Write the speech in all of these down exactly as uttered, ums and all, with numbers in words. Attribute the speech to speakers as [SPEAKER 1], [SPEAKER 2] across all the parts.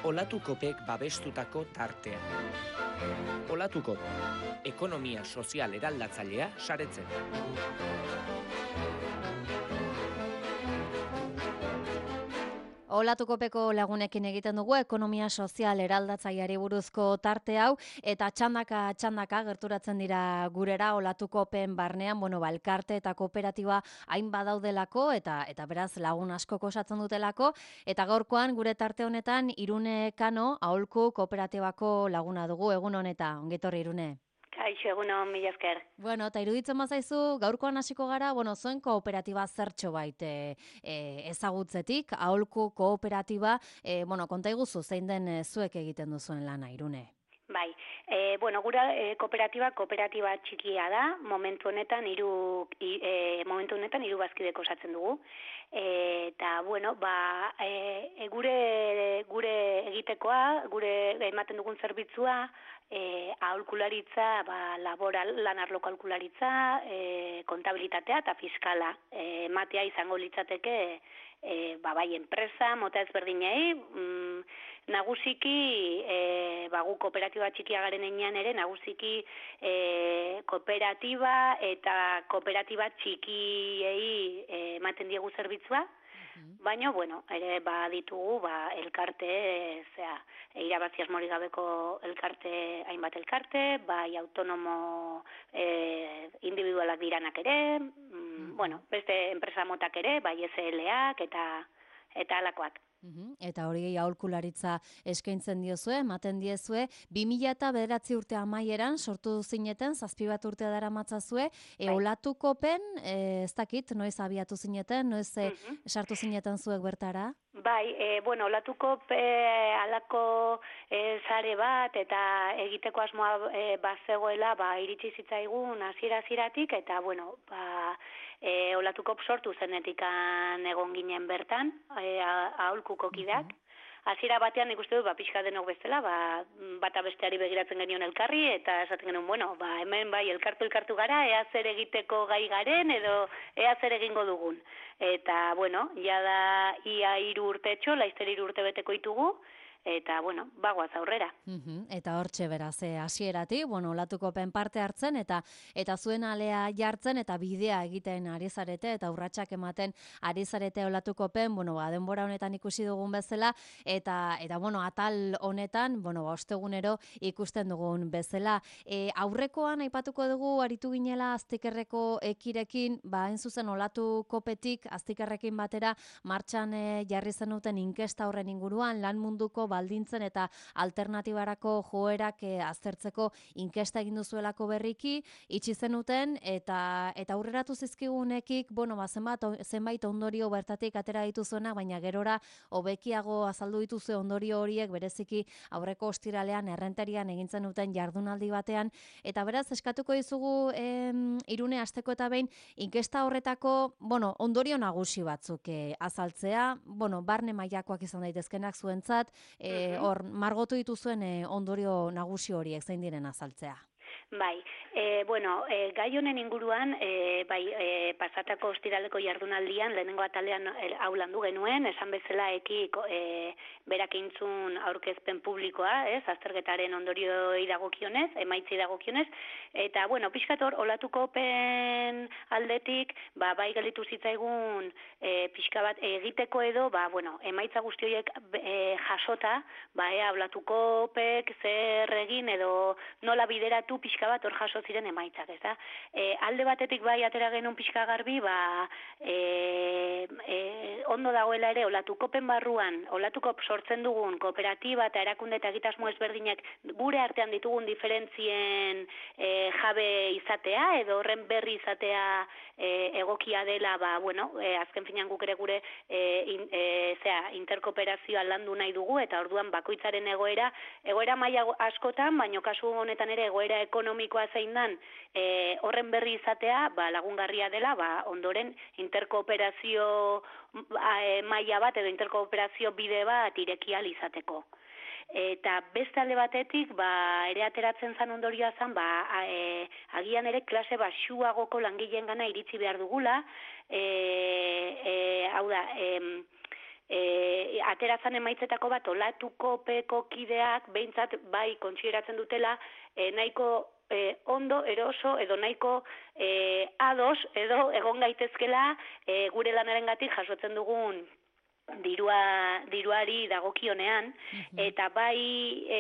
[SPEAKER 1] Olatukopek babestutako tartea. Olatukop, ekonomia sozial eraldatzailea saretzen.
[SPEAKER 2] Olatukopeko lagunekin egiten dugu ekonomia sozial eraldatzaileari buruzko tarte hau eta txandaka txandaka gerturatzen dira gurera Olatukopen barnean, bueno, ba, elkarte eta kooperatiba hain badaudelako eta eta beraz lagun asko osatzen dutelako eta gaurkoan gure tarte honetan Irune Kano Aholku Kooperatibako laguna dugu. Egun honeta, ongitorri Irune.
[SPEAKER 3] Kaixo, egunon, mila esker.
[SPEAKER 2] Bueno, eta iruditzen bazaizu, gaurkoan hasiko gara, bueno, zuen kooperatiba zertxo bait e, e, ezagutzetik, Aholku Kooperatiba, e, bueno, konta iguzu zein den e, zuek egiten duzuen lana, Irune.
[SPEAKER 3] Bai, e, bueno, gura e, kooperatiba, kooperatiba txikia da, momentu honetan hiru e, momentu honetan hiru bazkideko osatzen dugu. E, eta, bueno, ba, e, gure, gure egitekoa, gure ematen dugun zerbitzua, E, aholkularitza, ba, laboral, lan arlo kalkularitza, e, kontabilitatea eta fiskala. E, matea izango litzateke, e, ba, bai, enpresa, mota ezberdinei, mm, nagusiki, e, ba, gu kooperatiba txikia garen enean ere, nagusiki e, kooperatiba eta kooperatiba txikiei e, ematen diegu zerbitzua, baina, bueno, ere ba ditugu, ba, elkarte, e, zera, irabazi asmorik gabeko elkarte, hainbat elkarte, bai autonomo e, individualak diranak ere, mm, bueno, beste enpresa motak ere, bai S L ak eta, eta alakoak.
[SPEAKER 2] Eta hori aholkularitza eskaintzen diozue, ematen diezue, bi mila eta bederatzi urte amaieran sortu zineten, zazpi bat urte dara matzazue, e, Olatukopen, e, ez dakit, noiz abiatu zineten, noiz e, sartu zineten zuek bertara?
[SPEAKER 3] Bai, e, bueno, Olatukop e, alako e, sare bat eta egiteko asmoa e, bazegoela, ba, iritsi zitzaigun hasiera-hasieratik eta, bueno, ba, e, Olatukop sortu zenetikan egon ginen bertan, e, aholkuko kideak. Hasiera batean ikuste dut, ba, pixka denok bezala, ba, bata besteari begiratzen genion elkarri, eta esaten genuen, bueno, ba, hemen bai elkartu-elkartu gara, ea zer egiteko gai garen, edo ea zer egingo dugun. Eta, bueno, jada ia hiru urtetxo, laizter hiru urte beteko ditugu, eta, bueno, bagoaz aurrera.
[SPEAKER 2] Uhum, eta hortxe beraz, e, hasieratik, bueno, Olatukopen parte hartzen, eta eta zuen alea jartzen, eta bidea egiten ari zarete, eta urratsak ematen ari zarete Olatukopen, bueno, ba, denbora honetan ikusi dugun bezala, eta, eta bueno, atal honetan, bueno, ba, ostegunero ikusten dugun bezala. E, aurrekoan aipatuko dugu, aritu ginela aztikerreko ekirekin, ba, hain zuzen Olatukopetik aztikerrekin batera, martxan e, jarri zenuten inkesta horren inguruan, lan munduko baldintzen eta alternatibarako joerak e, aztertzeko inkesta egin duzuelako berriki, itxi zenuten eta eta aurreratu zizkigunekik, bueno, ba, zenbat, zenbait ondorio bertatik atera dituzuena, baina gerora hobekiago azaldu dituzue ondorio horiek bereziki aurreko ostiralean errenterian egintzen duten jardunaldi batean, eta beraz eskatuko dizugu em, Irune asteko eta behin inkesta horretako, bueno, ondorio nagusi batzuk e, azaltzea, bueno, barne mailakoak izan daitezkenak zuentzat, E, hor, margotu dituzuen e, ondorio nagusi horiek zein diren azaltzea.
[SPEAKER 3] Bai, e, bueno, e, gai honen inguruan, e, bai, e, pasatako ostiraleko jardunaldian, lehenengo atalean e, hau landu genuen, esan bezala eki e, berak intzun aurkezpen publikoa, ez, azterketaren ondorioi dagokionez, emaitzi dagokionez, eta, bueno, pixkator, Olatukopen aldetik, ba, bai galitu zitzaigun e, pixka bat egiteko edo, ba, bueno, emaitza guzti horiek e, jasota, ba, ea, Olatukopek zer egin edo nola bideratu pixka bat hor jaso ziren emaitzak, ez da? E, alde batetik bai atera genuen pixka garbi, ba, e, e, ondo dagoela ere Olatukopen barruan, Olatukop sortzen dugun kooperatiba eta erakunde eta egitasmo ezberdinak gure artean ditugun diferentzien e, jabe izatea, edo horren berri izatea e, egokia dela, ba, bueno, e, azken finean guk ere gure e, in, e, zera, interkooperazioa landu nahi dugu, eta orduan bakoitzaren egoera, egoera maila askotan, baino kasu honetan ere egoera ekonomikoa zein dan, e, horren berri izatea, ba, lagungarria dela, ba, ondoren interkooperazio e, maila bat edo interkooperazio bide bat ireki ahal izateko. Eta beste alde batetik, ba, ere ateratzen zan ondorioa zan, ba, e, agian ere klase baxuagoko langileen gana iritsi behar dugula, e, e, hau da, e, e, aterazan emaitzetako bat olatuko peko kideak behintzat bai kontsideratzen dutela e, nahiko e, ondo, eroso, edo nahiko e, ados, edo egon gaitezkela e, gure lanarengatik jasotzen dugun dirua diruari dagokionean, eta bai e,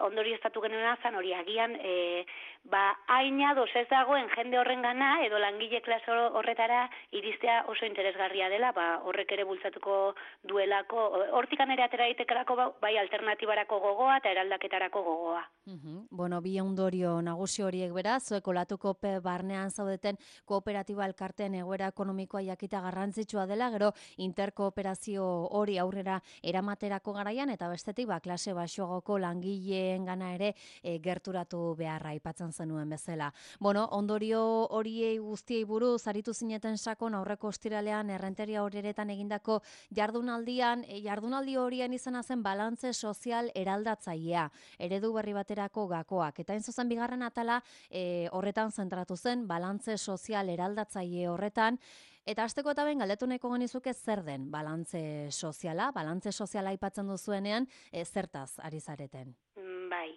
[SPEAKER 3] ondorioztatu genuena zan hori agian e, ba haina dos ez dagoen jende horrengana edo langile klase horretara iristea oso interesgarria dela, ba horrek ere bultzatuko duelako, hortikan ere atera daitekelako bai alternatibarako gogoa eta eraldaketarako gogoa.
[SPEAKER 2] Uhum. Bueno, bi ondorio nagusi horiek beraz, zuek olatuko pe barnean zaudeten kooperatiba elkarteen egoera ekonomikoa jakita garrantzitsua dela, gero interkooperazio hori aurrera eramaterako garaian, eta bestetik ba, klase baxuagoko langileen gana ere e, gerturatu beharra aipatzen zenuen bezala. Bueno, ondorio horiei guztiei buruz aritu zineten sakon aurreko ostiralean errenteria horretan egindako jardunaldian, e, jardunaldi horien izena zen balantze sozial eraldatzailea, eredu berri baterako gakoak, eta hain zuzen bigarren atala e, horretan zentratu zen, balantze sozial eraldatzaile horretan. Eta hasteko eta ben galdetu nahiko genizuke zer den balantze soziala, balantze soziala aipatzen duzuenean, e, zertaz ari zareten?
[SPEAKER 3] Bai.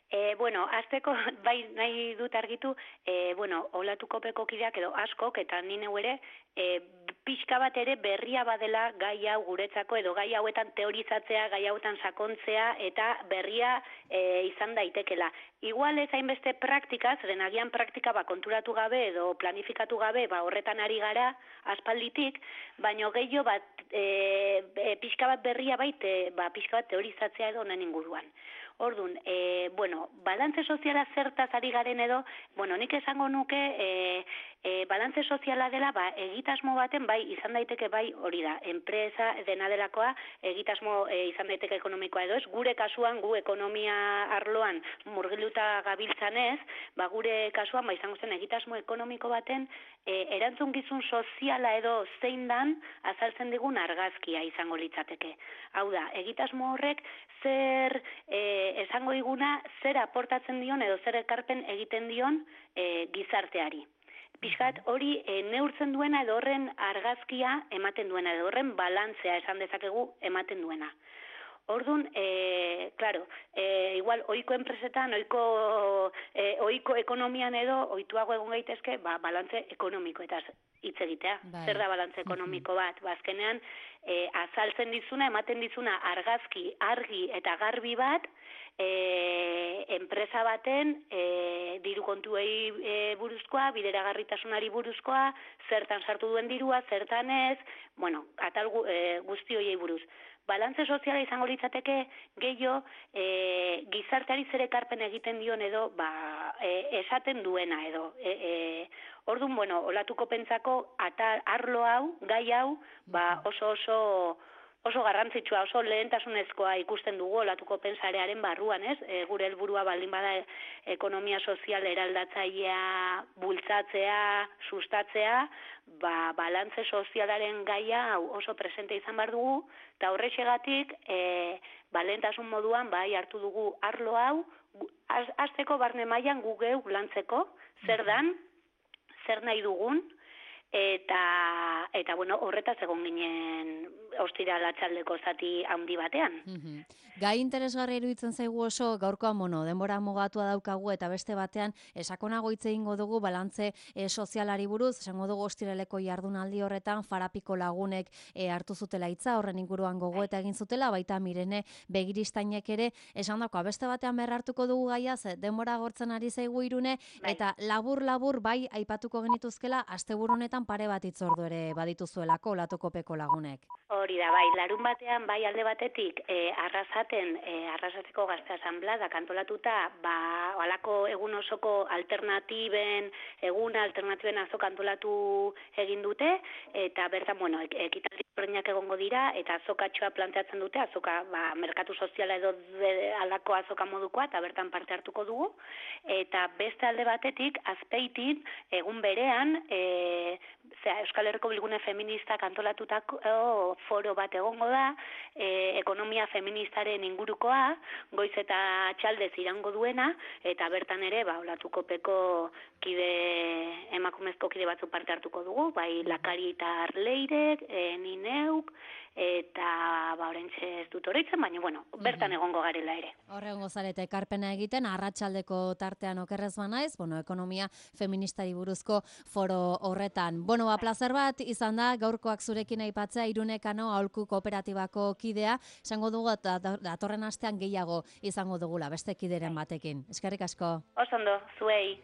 [SPEAKER 3] E, bueno, azteko, bai nahi dut argitu, e, bueno, olatuko peko kideak edo askok, eta ni neu ere, e, pixka bat ere berria badela gai hau guretzako, edo gai hauetan teorizatzea, gai hauetan sakontzea, eta berria e, izan daitekela. Igual ez hainbeste praktika, zeren agian praktika ba, konturatu gabe edo planifikatu gabe, ba, horretan ari gara, aspalditik, baino gehiago bat, e, e, pixka bat berria baite, ba, pixka bat teorizatzea edo honen inguruan. Orduan, e, bueno, balantze soziala zertaz ari garen edo, bueno, nik esango nuke e, e, balantze soziala dela, ba, egitasmo baten, bai, izan daiteke bai hori da, enpresa dena delakoa, egitasmo e, izan daiteke ekonomikoa edo ez, gure kasuan, gu ekonomia arloan murgiluta gabiltzanez, ba, gure kasuan, ba, izango zen egitasmo ekonomiko baten, e, erantzukizun soziala edo zein dan, azaltzen digun argazkia izango litzateke. Hau da, egitasmo horrek zer e, esango diguna, zer aportatzen dion edo zer ekarpen egiten dion e, gizarteari. Pixkat hori e, neurtzen duena edo horren argazkia ematen duena edo horren balantzea esan dezakegu ematen duena. Orduan, e, claro, e, igual oiko enpresetan, oiko, e, oiko ekonomian edo oituago egon gaitezke, ba, balantze ekonomiko eta hitz egitea. Bai. Zer da balantze ekonomiko bat? Ba, azkenean, e, azaltzen dizuna, ematen dizuna argazki, argi eta garbi bat, e, enpresa baten e, diru kontuei e, buruzkoa, bideragarritasunari buruzkoa, zertan sartu duen dirua, zertan ez, bueno, atal e, guzti horiei buruz. Balantze soziala izango litzateke gehiago e, gizarteari zer ekarpen egiten dion edo ba, e, esaten duena edo. E, e, orduan, bueno, olatuko pentsako atal, arlo hau, gai hau, ba, oso oso oso garrantzitsua, oso lehentasunezkoa ikusten dugu olatuko pentsarearen barruan, ez? E, gure helburua baldin bada ekonomia sozial eraldatzailea bultzatzea, sustatzea, ba, balantze sozialaren gaia hau oso presente izan behar dugu, eta horrexegatik, e, ba, lehentasun moduan, bai, hartu dugu arlo hau, hasteko barne mailan gu geu lantzeko, zer dan, zer nahi dugun, eta, eta bueno, horretaz egon ginen ostira latxaldeko zati handi batean.
[SPEAKER 2] Mm-hmm. Gai interesgarri iruditzen zaigu oso gaurkoan mono, denbora mugatua daukagu eta beste batean esakonago hitz egingo dugu balantze e, sozialari buruz, esango dugu ostiraleko jardunaldi horretan Farapiko lagunek e, hartu zutela hitza, horren inguruan gogoeta egin zutela, baita Mirene Begiristainek ere esan dako, beste batean berrartuko dugu gaia, ze denbora gortzen ari zaigu Irune, bai. Eta labur-labur bai aipatuko genituzkela asteburu honetan pare bat hitzordu ere badituzuelako olatuko peko lagunek.
[SPEAKER 3] Hori da, bai, larun batean, bai alde batetik, e, arrasaten, e, arrasateko gazte asanblada kantolatuta, ba, alako egun osoko alternatiben, egun alternatiben azo kantolatu egin dute, eta bertan, bueno, ekitaldi horreinak egongo dira, eta azokatxoa planteatzen dute, azoka, ba, merkatu soziala edo de, alako azoka modukoa, eta bertan parte hartuko dugu, eta beste alde batetik, azpeitin, egun berean, e, zera, Euskal Herriko Bilgune Feministak antolatutako foro bat egongo da, e, ekonomia feministaren ingurukoa, goiz eta txaldez irango duena, eta bertan ere, ba, olatuko peko kide, emakumezko kide batzu parte hartuko dugu, bai Lakari eta Arleirek, e, Nineuk, eta ba oraintxe ez dut oroitzen, baina bueno, bertan egongo garela ere.
[SPEAKER 2] Horrengo zarete ekarpena egiten, arratsaldeko tartean okerrez banaiz, bueno, ekonomia feministari buruzko foro horretan. Bueno, ba, plazer bat izan da, gaurkoak zurekin aipatzea, Irunekano aholku kooperatibako kidea, esango dugu datorren astean gehiago izango dugula, beste kideren batekin. Eskerrik asko.
[SPEAKER 3] Oso ondo, zuei.